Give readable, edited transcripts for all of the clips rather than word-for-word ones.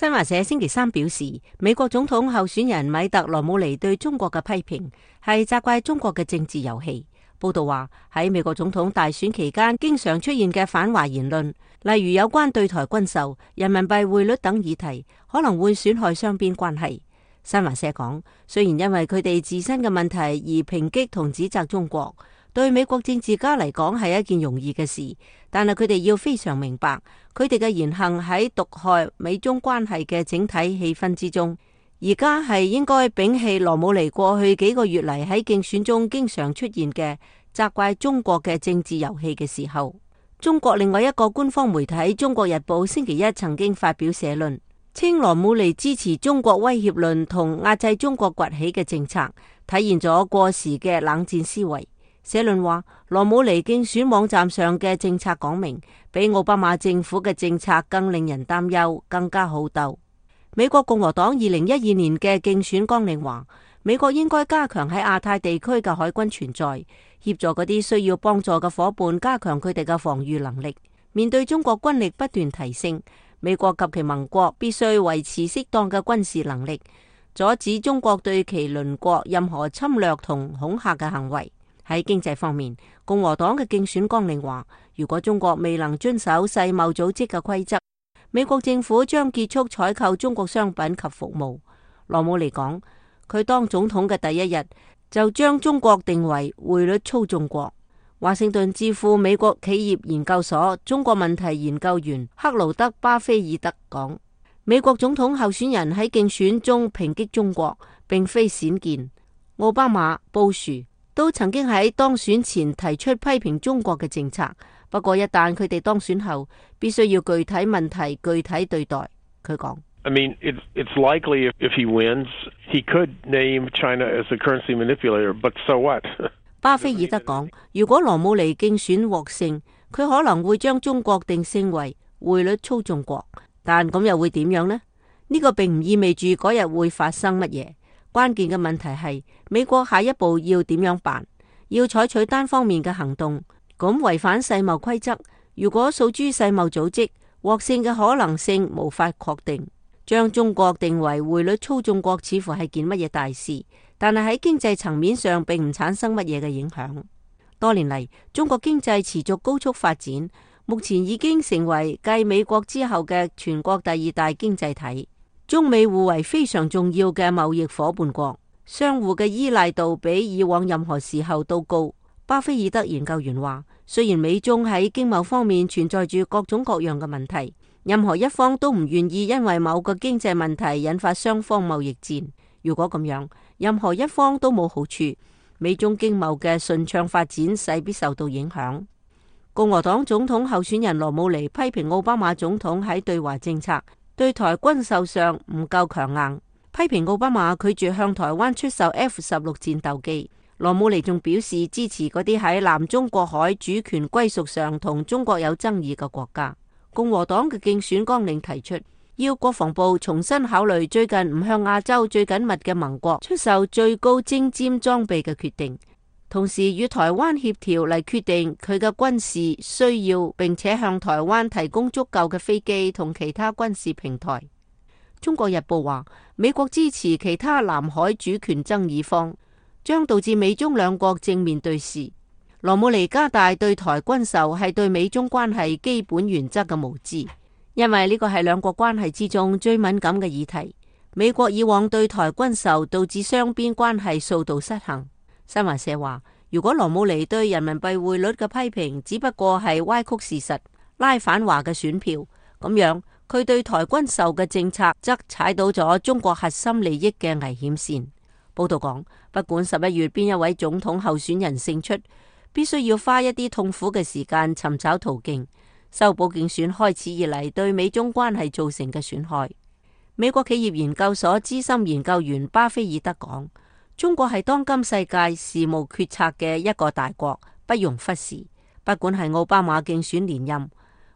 新華社星期三表示，美國總統候選人米特羅姆尼對中國嘅批評係責怪中國嘅政治遊戲。報道話喺美國總統大選期間經常出現嘅反華言論，例如有關對台軍售、人民幣匯率等議題，可能會損害雙邊關係。新華社講，雖然因為佢哋自身嘅問題而抨擊同指責中國，對美國政治家嚟講係一件容易嘅事，但係佢哋要非常明白，佢哋嘅言行喺毒害美中關係嘅整體氣氛之中。而家係應該摒棄羅姆尼過去幾個月嚟喺競選中經常出現嘅責怪中國嘅政治遊戲嘅時候。中國另外一個官方媒體《中國日報》星期一曾經發表社論，稱羅姆尼支持中國威脅論同壓制中國崛起嘅政策，體現咗過時嘅冷戰思維。社論話，羅姆尼競選網站上嘅政策講明，比奧巴馬政府嘅政策更令人擔憂，更加好鬥。美國共和黨2012年嘅競選綱領話，美國應該加強喺亞太地區嘅海軍存在，協助嗰啲需要幫助嘅夥伴加強佢哋嘅防禦能力。面對中國軍力不斷提升，美國及其盟國必須維持適當嘅軍事能力，阻止中國對其鄰國任何侵略同恐嚇嘅行為。喺經濟方面，共和黨嘅競選綱領話，如果中國未能遵守世貿組織嘅規則，美國政府將結束採購中國商品及服務。羅姆尼講，佢當總統嘅第一日就將中國定為匯率操縱國。華盛頓智庫美國企業研究所中國問題研究員克勞德·巴菲爾德講，美國總統候選人喺競選中抨擊中國並非鮮見，奧巴馬、布殊都曾經喺當選前提出批評中國嘅政策，不過一旦佢哋當選後，必須要具體問題具體對待。佢講I mean, it's likely if he wins, he could name China as a currency manipulator, but so what? 巴菲爾德講，如果羅姆尼競選獲勝，佢可能會將中國定性為匯率操縱國，但咁又會點樣呢？呢個並唔意味住嗰日會發生乜嘢。關鍵嘅問題係美國下一步要點樣辦？要採取單方面嘅行動，咁違反世貿規則。如果訴諸世貿組織，獲勝嘅可能性無法確定。將中國定為匯率操縱國似乎係件乜嘢大事，但係喺經濟層面上並唔產生乜嘢嘅影響。多年嚟，中國經濟持續高速發展，目前已經成為繼美國之後嘅全國第二大經濟體。中美互為非常重要嘅貿易夥伴國，相互嘅依賴度比以往任何時候都高。巴菲爾德研究員話，雖然美中喺經貿方面存在住各種各樣嘅問題，任何一方都唔願意因為某個經濟問題引發雙方貿易戰。如果咁樣，任何一方都冇好處，美中經貿嘅順暢發展勢必受到影響。共和黨總統候選人羅姆尼批評奧巴馬總統喺對華政策、對台軍售上唔夠強硬，批評奧巴馬拒絕向台灣出售 F-16戰鬥機。羅姆尼仲表示支持嗰啲喺南中國海主權歸屬上同中國有爭議嘅國家。共和黨嘅競選綱領提出，要國防部重新考慮最近唔向亞洲最緊密嘅盟國出售最高精尖裝備嘅決定，同時與台灣協調嚟決定佢嘅軍事需要，並且向台灣提供足夠嘅飛機同其他軍事平台。中國日報話，美國支持其他南海主權爭議方，將導致美中兩國正面對峙。羅姆尼加大對台軍售係對美中關係基本原則嘅無知，因為呢個係兩國關係之中最敏感嘅議題。美國以往對台軍售導致雙邊關係數度失衡。新華社話，如果羅姆尼對人民幣匯率嘅批評只不過係歪曲事實、拉反華嘅選票，咁樣佢對台軍售嘅政策則踩到咗中國核心利益嘅危險線。報道講，不管11月邊一位總統候選人勝出，必須要花一啲痛苦嘅時間尋找途徑，修補競選開始以嚟對美中關係造成嘅損害。美國企業研究所資深研究員巴菲爾德講，中國係當今世界事務決策嘅一個大國，不容忽視。不管係奧巴馬競選連任，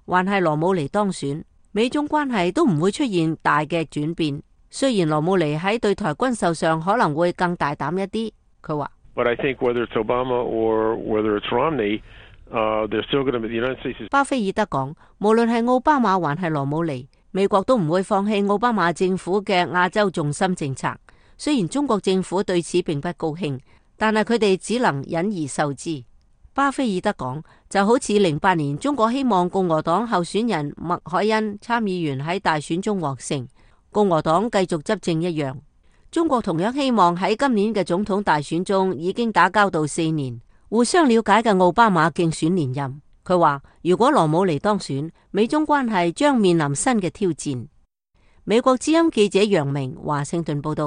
還係羅姆尼當選，美中關係都唔會出現大嘅轉變。雖然羅姆尼喺對台軍售上可能會更大膽一啲，佢話But I think whether it's Obama or whether it's Romney, they're still going to be the United States. 巴菲爾德講，無論係奧巴馬還係羅姆尼，美國都唔會放棄奧巴馬政府嘅亞洲重心政策。雖然中國政府對此並不高興，但係佢哋只能忍而受之。巴菲爾德講，就好似08年中國希望共和黨候選人麥凱恩參議員喺大選中獲勝，共和黨繼續執政一樣。中國同樣希望喺今年嘅總統大選中已經打交道4年、互相了解嘅奧巴馬競選連任。佢話如果羅姆尼當選，美中關係將面臨新嘅挑戰。美國之音記者楊明華盛頓報道。